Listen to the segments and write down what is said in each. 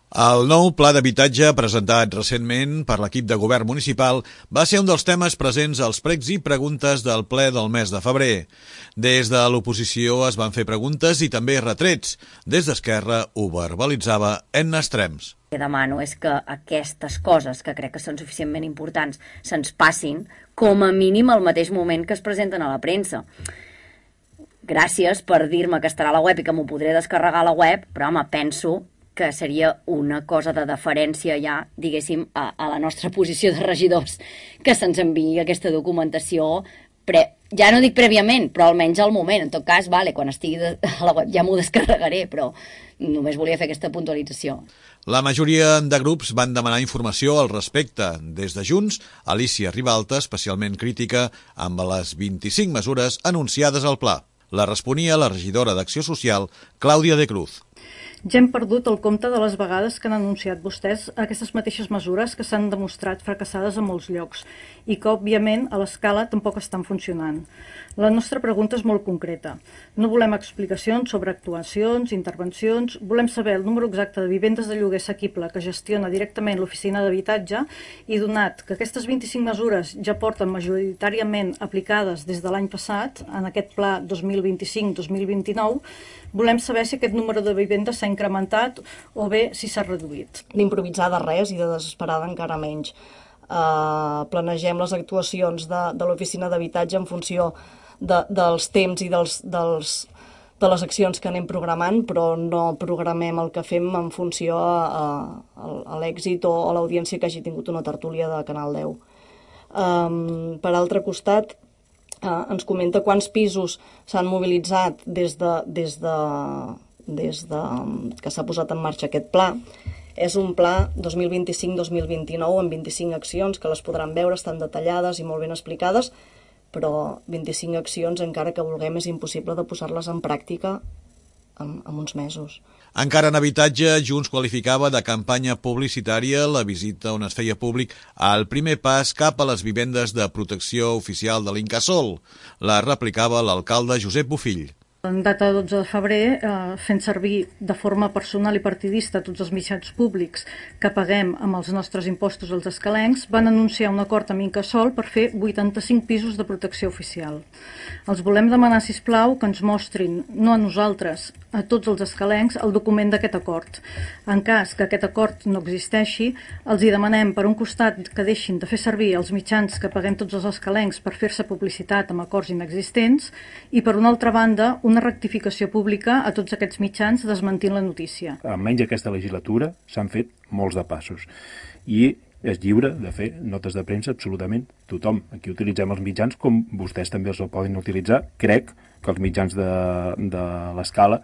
El nou pla d'habitatge presentat recentment per l'equip de govern municipal va ser un dels temes presents als pregs i preguntes del ple del mes de febrer. Des de l'oposició es van fer preguntes i també retrets. Des d'Esquerra ho verbalitzava Edna Estrems. El que demano és que aquestes coses, que crec que són suficientment importants, se'ns passin com a mínim al mateix moment que es presenten a la premsa. Gràcies per dir-me que estarà a la web i que m'ho podré descarregar a la web, però home, penso que seria una cosa de deferència ja, diguéssim, a la nostra posició de regidors, que se'ns enviï aquesta documentació, ja no dic prèviament, però almenys al moment. En tot cas, vale, quan estigui a la web ja m'ho descarregaré, però només volia fer aquesta puntualització. La majoria de grups van demanar informació al respecte. Des de Junts, Alicia Ribalta, especialment crítica amb les 25 mesures anunciades al pla. La responia la regidora d'Acció Social, Clàudia de Cruz. Ja hem perdut el compte de les vegades que han anunciat vostès aquestes mateixes mesures que s'han demostrat fracassades en molts llocs i que, òbviament, a l'escala tampoc estan funcionant. La nostra pregunta és molt concreta. No volem explicacions sobre actuacions, intervencions, volem saber el número exacte de vivendes de lloguer assequible que gestiona directament l'oficina d'habitatge i, donat que aquestes 25 mesures ja porten majoritàriament aplicades des de l'any passat, en aquest pla 2025-2029, volem saber si aquest número de vivendes s'ha incrementat o bé si s'ha reduït. D'improvisada res i de desesperada encara menys. Planegem les actuacions de l'oficina d'habitatge en funció dels temps i de les accions que anem programant, però no programem el que fem en funció a l'èxit o a l'audiència que hagi tingut una tertúlia de Canal 10. Per altre costat, ens comenta quants pisos s'han mobilitzat des que s'ha posat en marxa aquest pla. És un pla 2025-2029 amb 25 accions que les podran veure, estan detallades i molt ben explicades, però 25 accions, encara que vulguem, és impossible de posar-les en pràctica en uns mesos. Encara en habitatge, Junts qualificava de campanya publicitària la visita on es feia públic el primer pas cap a les vivendes de protecció oficial de l'Incasòl. La replicava l'alcalde Josep Bofill. En data de 12 de febrer, fent servir de forma personal i partidista tots els mitjans públics que paguem amb els nostres impostos als escalencs, van anunciar un acord amb Incasòl per fer 85 pisos de protecció oficial. Els volem demanar, sisplau, que ens mostrin, no a nosaltres, a tots els escalencs, el document d'aquest acord. En cas que aquest acord no existeixi, els hi demanem, per un costat, que deixin de fer servir els mitjans que paguem tots els escalencs per fer-se publicitat amb acords inexistents i, per una altra banda, una rectificació pública a tots aquests mitjans desmentint la notícia. Almenys aquesta legislatura s'han fet molts de passos i és lliure de fer notes de premsa absolutament tothom. Aquí utilitzem els mitjans com vostès també els poden utilitzar. Crec que els mitjans de l'Escala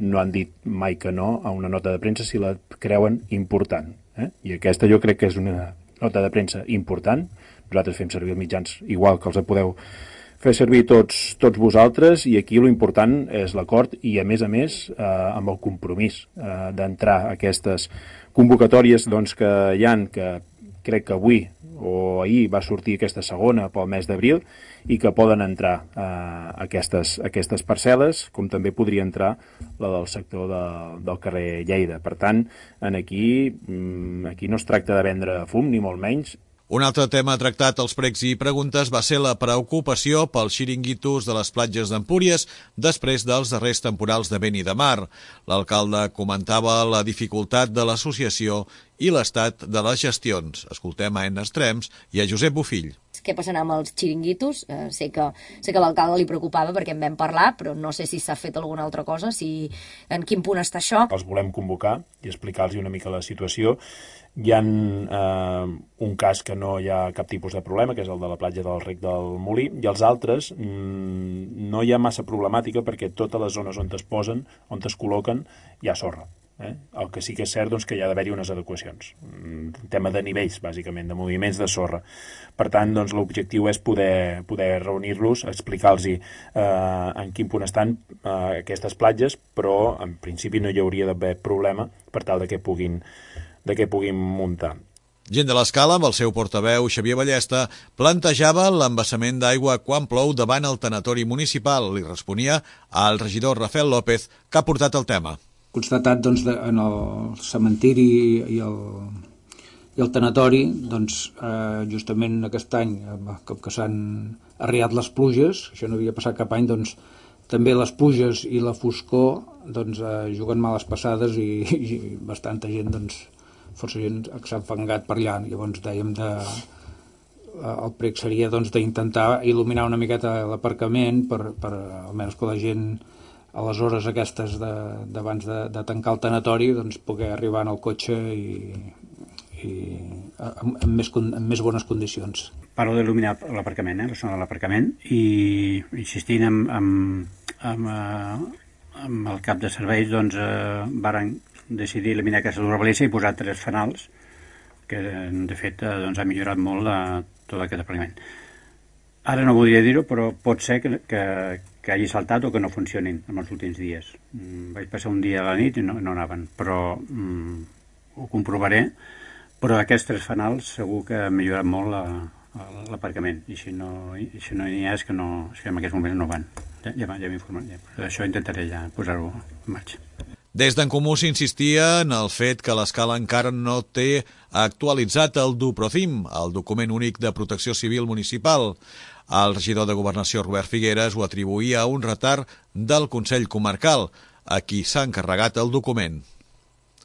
no han dit mai que no a una nota de premsa si la creuen important. I aquesta jo crec que és una nota de premsa important. Nosaltres fem servir els mitjans igual que els podeu fer servir tots vosaltres, i aquí l'important és l'acord i, a més, amb el compromís d'entrar a aquestes convocatòries que hi ha, que crec que avui o ahir va sortir aquesta segona pel mes d'abril, i que poden entrar aquestes parcel·les, com també podria entrar la del sector del carrer Lleida. Per tant, aquí no es tracta de vendre fum, ni molt menys. Un altre tema tractat als pregs i preguntes va ser la preocupació pels xiringuitos de les platges d'Empúries després dels darrers temporals de vent i de mar. L'alcalde comentava la dificultat de l'associació i l'estat de les gestions. Escoltem a Edna Estrems i a Josep Bofill. Què passarà amb els xiringuitos? Sé que a l'alcalde li preocupava perquè en vam parlar, però no sé si s'ha fet alguna altra cosa, en quin punt està això. Els volem convocar i explicar-los una mica la situació. Hi ha un cas que no hi ha cap tipus de problema, que és el de la platja del Rec del Molí, i els altres no hi ha massa problemàtica perquè totes les zones on es posen, on es col·loquen, hi ha sorra. El que sí que és cert que hi ha d'haver-hi unes adequacions. Un tema de nivells, bàsicament, de moviments de sorra. Per tant, l'objectiu és poder reunir-los, explicar-los en quin punt estan aquestes platges, però en principi no hi hauria d'haver problema per tal de que puguin muntar. Gent de l'Escala, amb el seu portaveu Xavier Ballesta, plantejava l'embassament d'aigua quan plou davant el tanatori municipal. Li responia al regidor Rafael López, que ha portat el tema. constatat doncs, en el cementiri i el tanatori, doncs, justament aquest any, com que s'han arriat les pluges, això no havia passat cap any, doncs, també les pluges i la foscor doncs, juguen males passades i bastanta gent, doncs, força gent que s'ha enfangat per allà. Llavors dèiem el prec seria doncs, d'intentar il·luminar una miqueta l'aparcament per almenys que la gent a les hores aquestes d'abans de tancar el tanatori doncs, poder arribar en el cotxe i amb més bones condicions. Parlo d'il·luminar l'aparcament, la zona de l'aparcament, i insistint amb el cap de serveis, doncs, varen decidir eliminar aquesta durabilitat i posar 3 fanals, que de fet doncs, ha millorat molt tot aquest aparcament. Ara no voldria dir-ho, però pot ser que hagi saltat o que no funcionin en els últims dies. Vaig passar un dia a la nit i no anaven, però ho comprovaré, però aquests 3 fanals segur que han millorat molt l'aparcament, i si no hi ha és que en aquests moments no van. Ja m'he informat, per això intentaré ja posar-ho en marxa. Des d'en Comú s'insistia en el fet que l'escala encara no té actualitzat el DUPROCIM, el document únic de protecció civil municipal. El regidor de Governació, Robert Figueres, ho atribuïa a un retard del Consell Comarcal, a qui s'ha encarregat el document.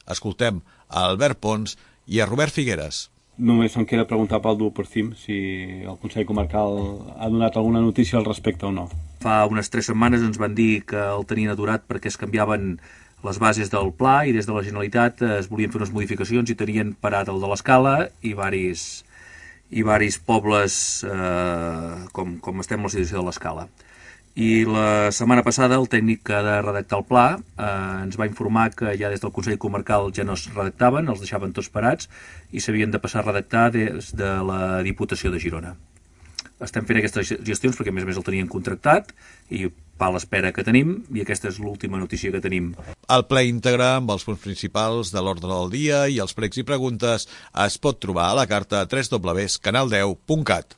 Escoltem a Albert Pons i a Robert Figueres. Només em queda preguntar pel DUPROCIM si el Consell Comarcal ha donat alguna notícia al respecte o no. Fa unes 3 setmanes ens van dir que el tenien aturat perquè es canviaven les bases del pla i des de la Generalitat es volien fer unes modificacions i tenien parat el de l'Escala i varis pobles com estem en la situació de l'Escala. I la setmana passada el tècnic que ha de redactar el pla ens va informar que ja des del Consell Comarcal ja no es redactaven, els deixaven tots parats i s'havien de passar a redactar des de la Diputació de Girona. Estem fent aquestes gestions perquè a més el tenien contractat i va a l'espera que tenim i aquesta és l'última notícia que tenim. El ple íntegre amb els punts principals de l'ordre del dia i els pregs i preguntes es pot trobar a la carta www.canal10.cat.